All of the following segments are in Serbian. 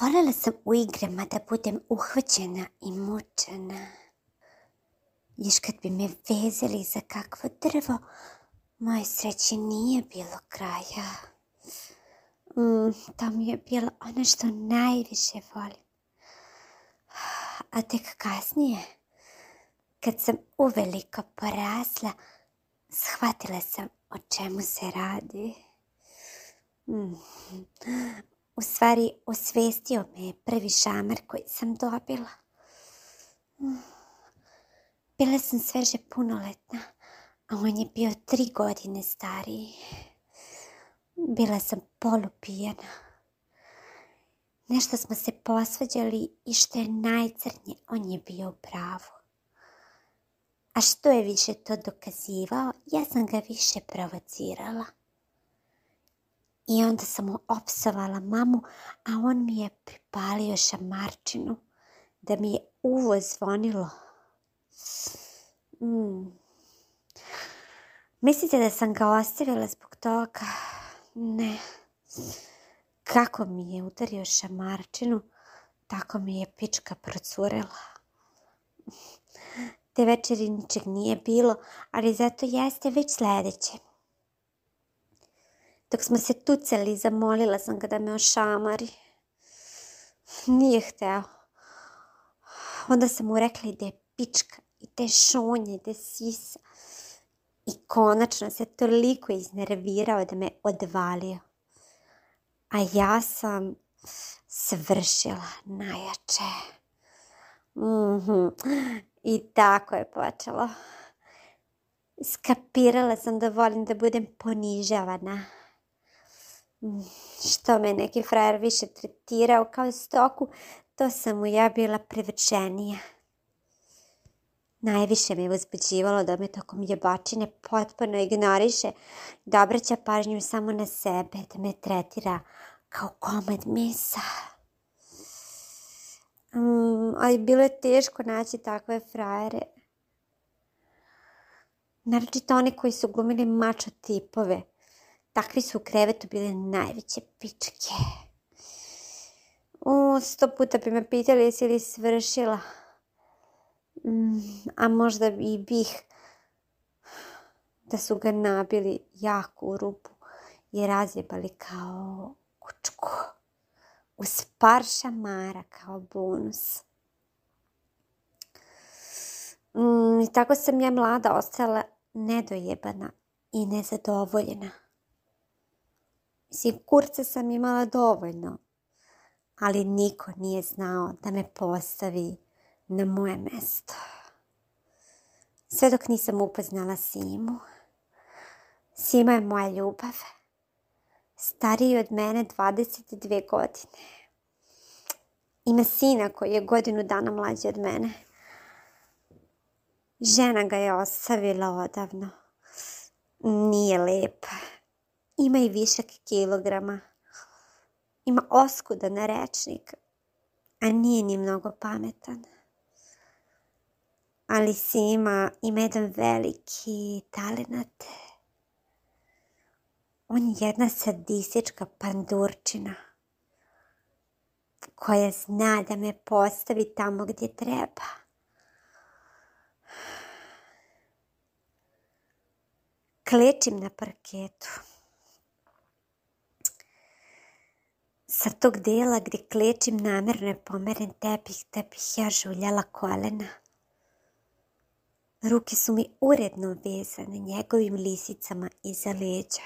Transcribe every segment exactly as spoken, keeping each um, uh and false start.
Voljela sam u igrama da budem uhvaćena i mučena. Još kad bi me vezali za kakvo drvo, moje sreće nije bilo kraja. Mm, to mi je bilo ono što najviše volim. A tek kasnije, kad sam uveliko porasla, shvatila sam o čemu se radi. Mm. U stvari, osvestio me je prvi šamar koji sam dobila. Mm. Bila sam sveže punoletna, a on je bio tri godine stariji. Bila sam polupijana. Nešto smo se posvađali i što je najcrnje, on je bio u pravu. A što je više to dokazivao, ja sam ga više provocirala. I onda sam mu opsovala mamu, a on mi je pripalio šamarčinu da mi je uvo zvonilo. Mm. Mislite da sam ga ostavila zbog toga? Ne. Kako mi je udario šamarčinu, tako mi je pička procurela. Te večeri ničeg nije bilo, ali zato jeste već sljedeće. Dok smo se tucali, zamolila sam ga da me ošamari. Nije hteo. Onda sam mu rekla i da je pička, i da je šonje, i da je sisa. I konačno se toliko iznervirao da me odvalio. A ja sam svršila najjače. Mm-hmm. I tako je počelo. Skapirala sam da volim da budem ponižavana. Što me neki frajer više tretirao kao stoku, to sam mu ja bila privrženija. Najviše me je uzbuđivalo da me tokom jebačine potpuno ignoriše, da obraća pažnju samo na sebe, da me tretira kao komad mesa. Um, ali bilo je teško naći takve frajere. Naročito oni koji su glumili mačo tipove. Takvi su u krevetu bile najveće pičke. O, sto puta bi me pitali jesi li svršila. Mm, a možda i bih da su ga nabili jako u rupu i razjebali kao kučku. Uz par šamara kao bonus. Mm, I tako sam ja mlada ostala nedojebana i nezadovoljena. Mislim, kurca sam imala dovoljno, ali niko nije znao da me postavi na moje mesto. Sve dok nisam upoznala Simu. Sima je moja ljubav. Stariji od mene dvadeset dvije godine. Ima sina koji je godinu dana mlađi od mene. Žena ga je ostavila odavno. Nije lepa. Ima i višak kilograma. Ima oskudan rečnik, a nije ni mnogo pametan. Ali Sima ima jedan veliki talenat. On je jedna sadistička pandurčina koja zna da me postavi tamo gdje treba. Klečim na parketu. Sa tog dela gdje klečim namjerno je pomeren tepih, da bih ja žuljala kolena. Ruke su mi uredno vezane njegovim lisicama iza leđa.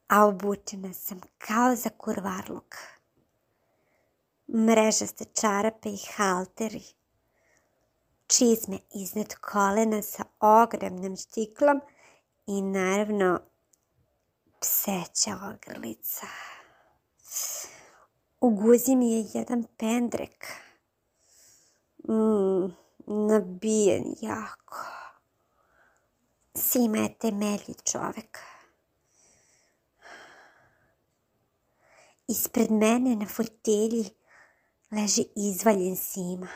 A obučena sam kao za kurvarluk. Mrežaste čarape i halteri. Čizme iznad kolena sa ogromnom štiklom i naravno pseća ogrlica. U guzi mi je jedan pendrek. Mm, nabijen jako. Sima je temelji čovek. Ispred mene na fotelji leži izvaljen Sima.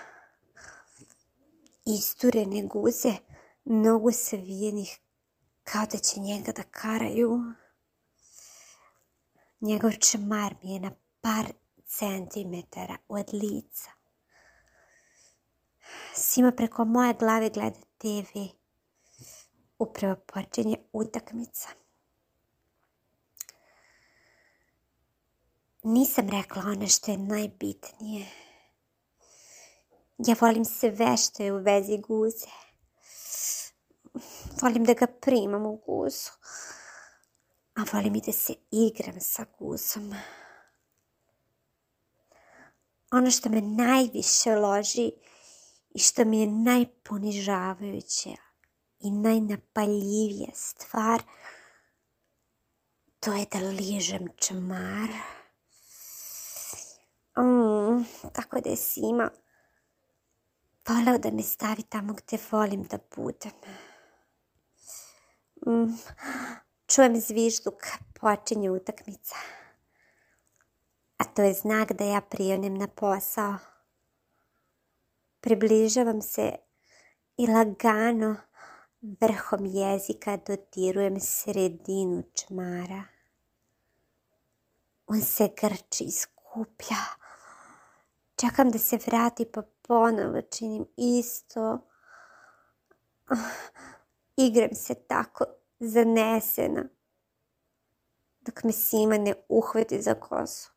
Isturene guze, nogu savijenih kao da će njega da karaju. Njegov čmar mi je na par centimetara od lica. Sima preko moje glave gleda te ve. Upravo počinje utakmica. Nisam rekla ono što je najbitnije. Ja volim sve što je u vezi guze. Volim da ga primam u guzu. A volim i da se igram sa guzom. Ono što me najviše loži i što mi je najponižavajuće i najnapaljivija stvar, to je da ližem čmar. Mm, tako da je Sima voleo da me stavi tamo gdje volim da budem. Mm, čujem zvižduk, počinje utakmica. A to je znak da ja prionem na posao. Približavam se i lagano vrhom jezika dodirujem sredinu čmara. On se grči i skuplja. Čekam da se vrati pa ponovo činim isto. Igram se tako zanesena dok me Sima ne uhvati za kosu.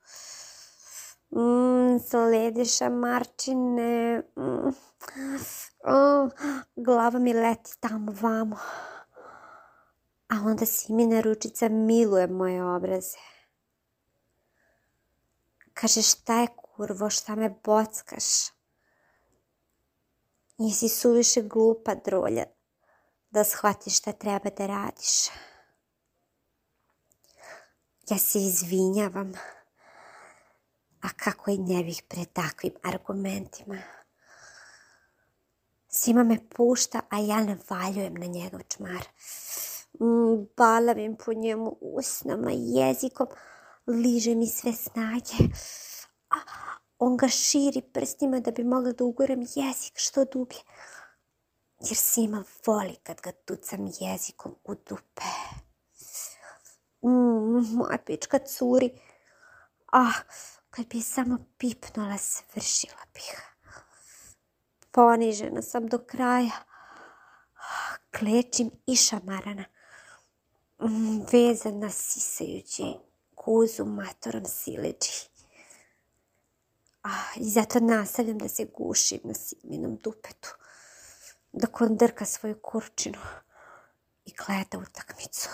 Mm, sledi šamarčine. Mm. Oh, glava mi leti tamo vamo. A onda Simina ručica miluje moje obraze. Kaže, šta je kurvo, šta me bockaš? Nisi suviše glupa drolja da shvatiš šta treba da radiš. Ja se izvinjavam. A kako i ne bih pred takvim argumentima. Sima me pušta, a ja navaljujem na njegov čmar. Mm, balavim po njemu usnama, jezikom, liže mi sve snage. A, on ga širi prstima da bi mogla da uguram jezik što dublje. Jer Sima voli kad ga tucam jezikom u dupe. Mm, moja pička curi. Ah, kad bi samo pipnula, svršila bih. Ponižena sam do kraja. Klečim i šamarana. Vezana sisajući guzu matorom sileđi. I zato nastavljam da se gušim na Siminom dupetu. Dok on drka svoju kurčinu i gleda utakmicu.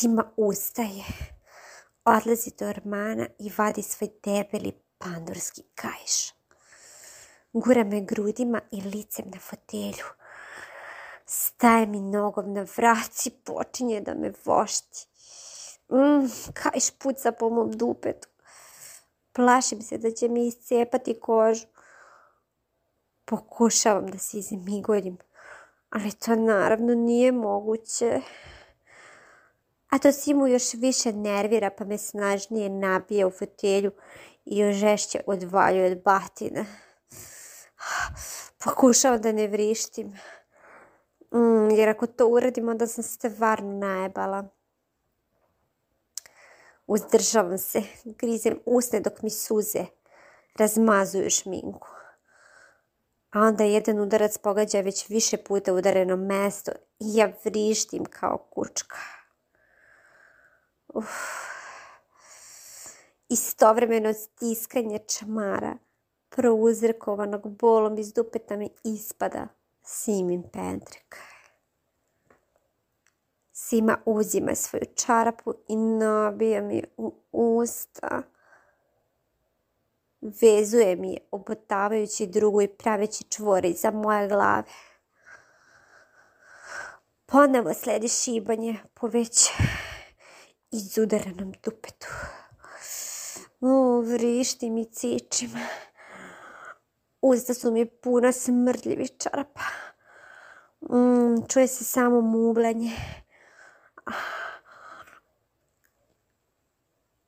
Sima ustaje, odlazi do ormana i vadi svoj debeli pandurski kaiš. Gura me grudima i licem na fotelju. Staje mi nogom na vrat i počinje da me vošti. Mm, kaiš puca po mom dupetu. Plašim se da će mi iscepati kožu. Pokušavam da se izmigoljim, ali to naravno nije moguće. A to Simu još više nervira, pa me snažnije nabija u fotelju i još žešće odvaljuje od batina. Pokušavam da ne vrištim, mm, jer ako to uradim, onda sam stvarno najebala. Uzdržavam se, grizem usne dok mi suze razmazuju šminku. A onda jedan udarac pogađa već više puta udareno mesto i ja vrištim kao kučka. Uf. Istovremeno stiskanje čmara prouzrokovanog bolom iz dupeta mi ispada Simin pendrek. Sima uzima svoju čarapu i nabija mi u usta. Vezuje mi je, obotavajući drugu i praveći čvore iza moje glave. Ponovo sledi šibanje po već izudaranom dupetu. O, vrištim i cičim. Usta su mi puna smrdljivih čarapa. Mm, čuje se samo muvlanje.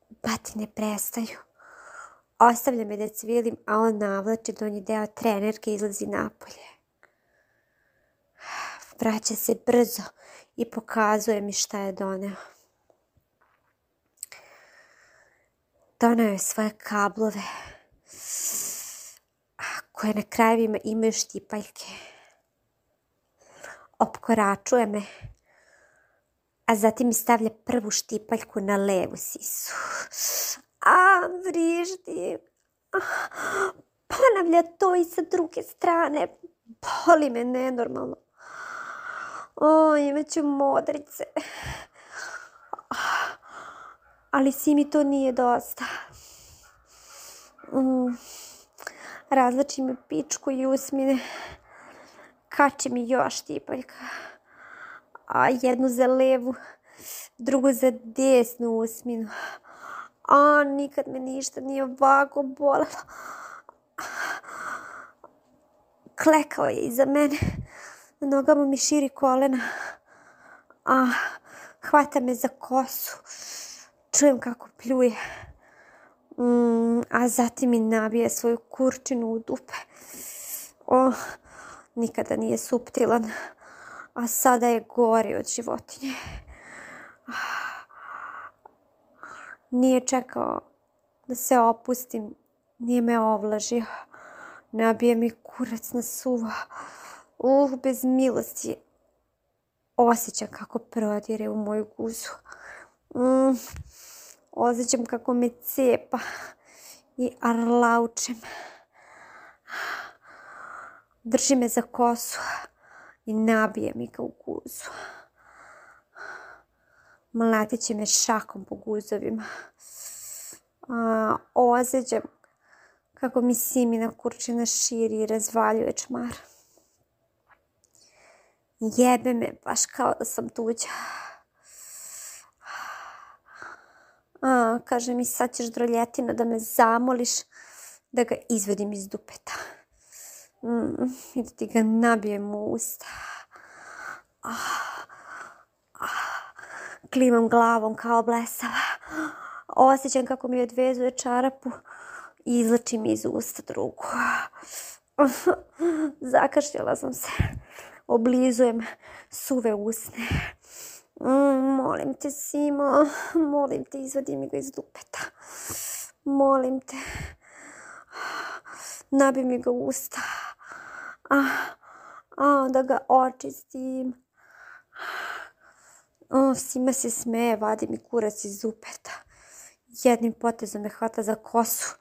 Batine prestaju. Ostavlja me da cvijelim, a on navlači donji deo trenerke i izlazi napolje. Vraća se brzo i pokazuje mi šta je doneo. doneo je svoje kablove koje na krajevima imaju štipaljke. Opkoračuje me, a zatim mi stavlja prvu štipaljku na levu sisu. A, vriždi. Ponavlja to i sa druge strane. Boli me nenormalno. O, imaću modrice. Ali Simi to nije dosta. Mm. Razlači mi pičku i usmine. Kači mi još štipaljka. A jednu za levu, drugu za desnu usminu. A nikad me ništa nije ovako bolelo. Klekao je iza mene. Na nogama mi širi kolena. A hvata me za kosu. Čujem kako pljuje. Mm, a zatim mi nabije svoju kurčinu u dupe. O, nikada nije suptilan. A sada je gori od životinje. Nije čekao da se opustim. Nije me ovlažio. Nabije mi kurac na suvo. Uh, bez milosti. Osjećam kako prodire u moju guzu. Mm, osjećam kako me cepa i arlaučem. Drži me za kosu i nabije mi ga u guzu. Mlatit će me šakom po guzovima. A, osjećam kako mi Simina kurčina širi i razvaljuje čmar. Jebe me baš kao da sam tuđa. A, kaže mi sad ćeš droljetina da me zamoliš da ga izvedim iz dupeta. Mm, I da ti ga nabijem u usta. Ah, ah, klimam glavom kao blesava. Osjećam kako mi odvezuje čarapu i izlači mi iz usta drugu. Zakašljala sam se. Oblizujem suve usne. Mm, molim te, Simo, molim te, izvadi mi ga iz dupeta. Molim te. Nabi mi ga u usta. A, a, da ga očistim. O, Sima se smeje, vadi mi kurac iz dupeta. Jednim potezom me hvata za kosu,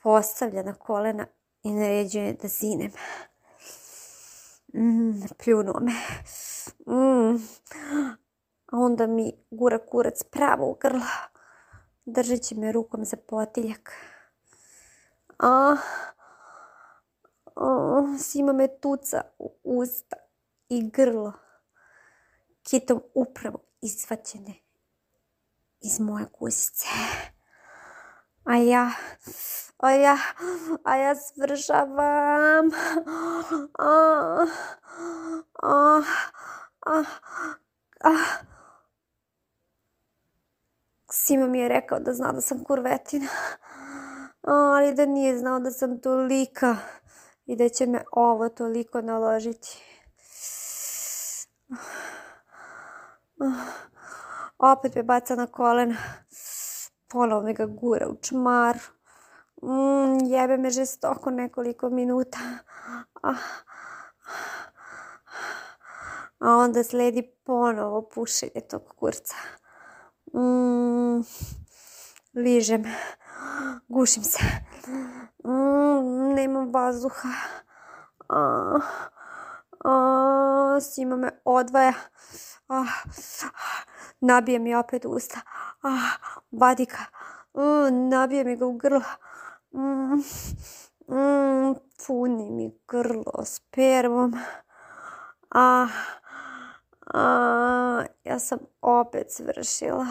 postavlja na kolena i naređuje da zinem. Mm, pljunuo me. Mm. A onda mi gura kurac pravo u grlo, držeći me rukom za potiljak. A, a, Sima me tuca u usta i grlo, kitom upravo izvađene iz moje guzice. A ja, a ja, a ja svršavam. A, a, a, a. Sima mi je rekao da zna da sam kurvetina, ali da nije znao da sam tolika i da će me ovo toliko naložiti. Opet me baca na kolena. Ponovo me ga gura u čmar. Mm, jebe me žestoko nekoliko minuta. Ah. A onda sledi ponovo pušenje tog kurca. Mm, ližem. Gušim se. Mm, nemam vazduha. Ah. Ah, Sima me odvaja. Ah. Nabije mi opet usta. Ah, vadi ga. Mm, nabije mi ga u grlo. Mm, mm, puni mi grlo spermom. Ah, ah, ja sam opet svršila.